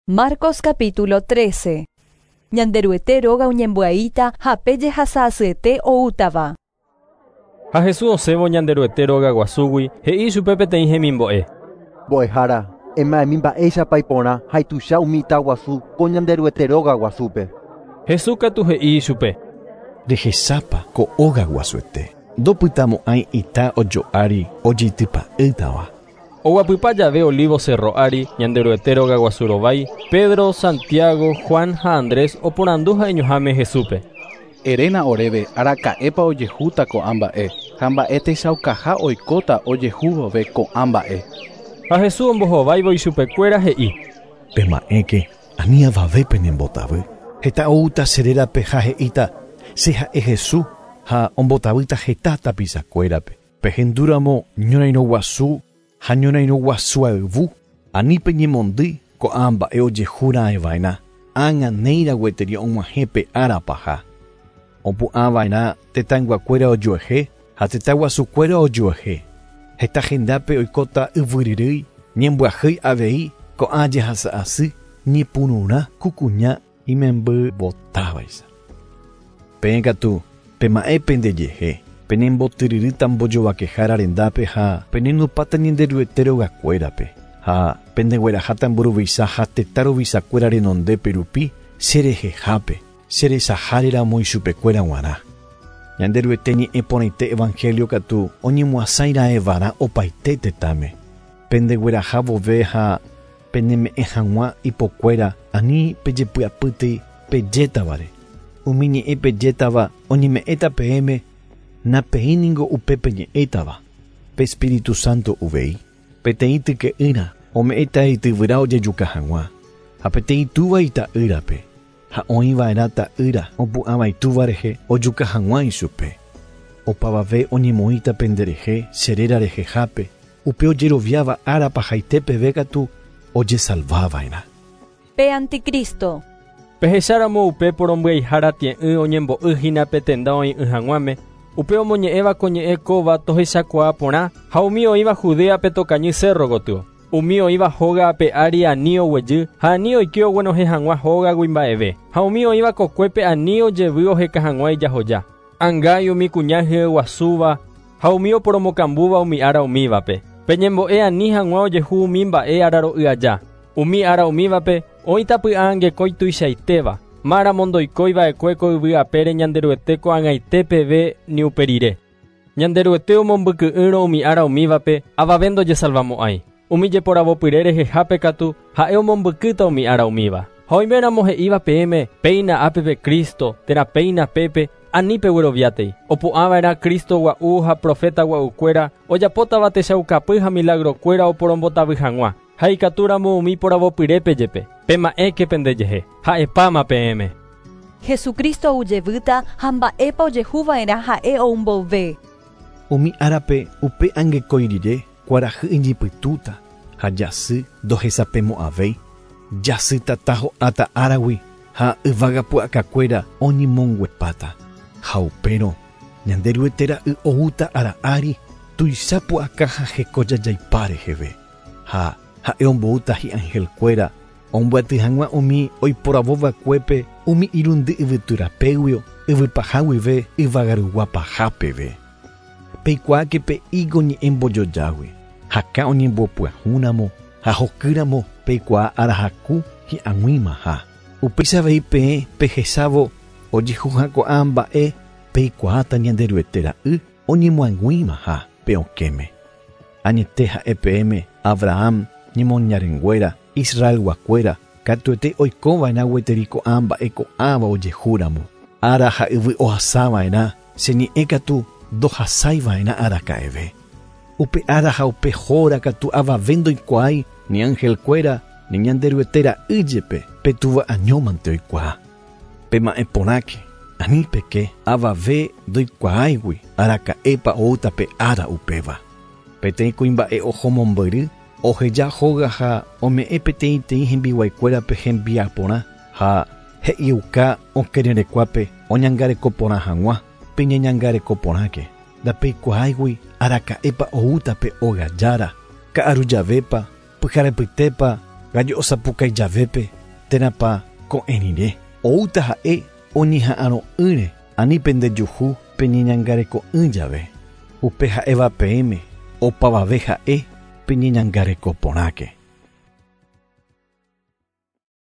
Marcos capítulo 13. Ñanderuete róga oñembyaíta ha pe jehasa asyete oútava. Ha Jesús osẽvo Ñanderuete róga guasúgui, he'i chupe peteĩ hemimbo'e. Mbo'ehára, ema'ẽmi mba'éichapa iporã ha ituicha umi ita guasu ko Ñanderuete róga guasúpe. Jesús katu he'i ichupe. Rehechápa ko óga guasuete, ndopytamo'ãi ita ojo'ári ojeitypa'ỹtava. Oguapypa jave Olivo cerro ári, Ñanderuete róga guasu rovái, Pedro, Santiago, Juan ha Andrés oporandu ha'eñoháme Jesúspe. Eréna oréve araka'épa ojehúta ko'ã mba'e ha mba'e techaukaha oikóta ojehu vove ko'ã mba'e. Ha Jesús ombohováivo ichupekuéra he'i. Pema'ẽke, ani avave penembotavy. Heta oúta che rérape ha he'íta, Che ha'e Jesús, ha ombotavýta heta tapichakuérape. Pehendúramo ñorairõ guasu ha ñorairõ guasu ayvu, ani peñemondýi ko'ã mba'e ojehu raẽ va'erã, ág̃a néira gueteri og̃uahẽ pe ára paha. Opu'ã va'erã tetãyguakuéra ojuehe ha tetã guasukuéra ojuehe. Heta hendápe oikóta yvyryrýi, ñembyahýi avei ko'ã jehasa asy ñepyrũrã ku kuña imemby votávaicha. Peẽ katu, pema'ẽ pendejehe, penembotyryryta mbojovakehára rendápe ha penenupãta Ñanderuete rogakuérape, ha pendegueraháta mburuvicha ha tetã ruvichakuéra renondépe rupi che rehehápe, che rechaháre ramo ichupekuéra g̃uarã. Ñanderuete ñe'ẽ porãite evangelio katu oñemoasãi raẽvarã opaite tetãme. Pendegueraha vove ha peneme'ẽ hag̃ua ipokuéra ani pejepy'apýtei pejétavare. Umi ñe'ẽ pejétava oñeme'ẽta peẽme, napeĩ ningo upe peñe'ẽtava, pe Espíritu Santo uvei. Peteĩ tyke'ýra ome'ẽta ityvyra ojejuka hag̃ua, ha peteĩ túva ita'ýrape, ha oĩ va'erã ta'ýra opu'ãva itúva rehe ojuka hag̃ua ichupe. Opavave oñemoĩta penderehe che réra rehehápe, upe ojeroviáva ára pahaite peve katu ojesalva va'erã. Pe anticristo. Pehecháramo upe porombyaihára tie'ỹ oñembo'y hína pe tenda oĩ'ỹ hag̃uáme, upe omoñe'ẽva ko ñe'ẽ kóva tohechakuaa porã ha umi oĩva Judéape tokañy cérro gotyo. Umi oĩva hóga ape ári ani oguejy ha ani oike oguenohẽ hag̃ua hógagui mba'eve, ha umi oĩva kokuépe ani ojevy oheka hag̃ua ijahoja. Angái umi kuña hyeguasúva ha umi oporomokambúva umi ára umívape. Peñembo'e ani hag̃ua ojehu umi mba'e araro'y aja. Umi ára umívape oĩta py'aangekói tuichaitéva, máramo ndoikói va'ekue ko yvy apére Ñanderuete ko'ag̃aite peve ni upe rire. Ñanderuete omombyky'ỹrõ umi ára umívape avave ndojesalvamo'ãi. Umi jeporavopyre rehehápe katu ha'e omombykýta umi ára umíva. Ha oiméramo he'íva peẽme, Péina ápe pe Cristo, térã péina pépe, ani pegueroviátei. Opu'ã va'erã Cristo gua'u ha proféta gua'ukuéra, ojapótava techaukapy ha milagrokuéra oporombotavy hag̃ua, ha ikatúramo umi poravopyrépe jepe. Pema'ẽke pendejehe, ha'epáma peẽme. Jesucristo ou jevýta ha mba'épa ojehu va'erã ha'e ou mboyve. Umi árape upe angekói rire kuarahy iñypytũta ha jasy ndohesapemo'ãvéi, jasy tata ho'áta áragui ha yvága pu'akakuéra oñemonguepáta. Ha upérõ Ñanderuete Ra'y oúta ára ári tuicha pu'aka ha heko jajaipa reheve, ha Ha'e omboúta hi'anhelkuéra ombyaty hag̃ua umi oiporavo va'ekuépe umi irundy yvyty rapéguio yvypaha guive yvagarugua paha peve. Peikuaáke pe ígo ñe'ẽ mbojojágui, hakã oñembopyahúramo ha hokýramo peikuaa ára haku hi'ag̃uimaha. Upéicha avei peẽ pehechávo ojehuha ko'ã mba'e peikuaáta Ñanderuete Ra'y oñemoag̃uimaha pe okẽme. Añete ha'e peẽme Abraham ñemoñarenguéra, Israelguakuéra, katuete oikova'erã gueteri ko'ã mba'e ko'ãva ojehúramo. Ára ha yvy ohasava'erã, che ñe'ẽ katu ndohasaiva'erã araka'eve. Upe ára ha upe hóra katu avave ndoikuaái ni anhelkuéra ni Ñanderuete Ra'y jepe, pe Túva añómante oikuaa. Pema'ẽ porãke, ani peke avave ndoikuaáigui araka'épa oúta pe ára upéva. Peteĩ kuimba'e oho mombyry, oheja hóga ha ome'ẽ peteĩteĩ hembiguaikuérape hembiaporã ha he'iuka okẽrerekuápe oñangareko porã hag̃ua, Peñeñangareko porãke, ndapeikuaáigui araka'épa oúta pe óga jára, ka'aru javépa, pyharepytépa, Gallo osapukaijavépe térãpa ko'ẽ rire. Oúta ha'e oñeha'ãrõ'ỹre ani pendejuhu peñeñangareko'ỹ jave. Upe ha'éva peẽme opavave ha'e peñeñangareko porãke.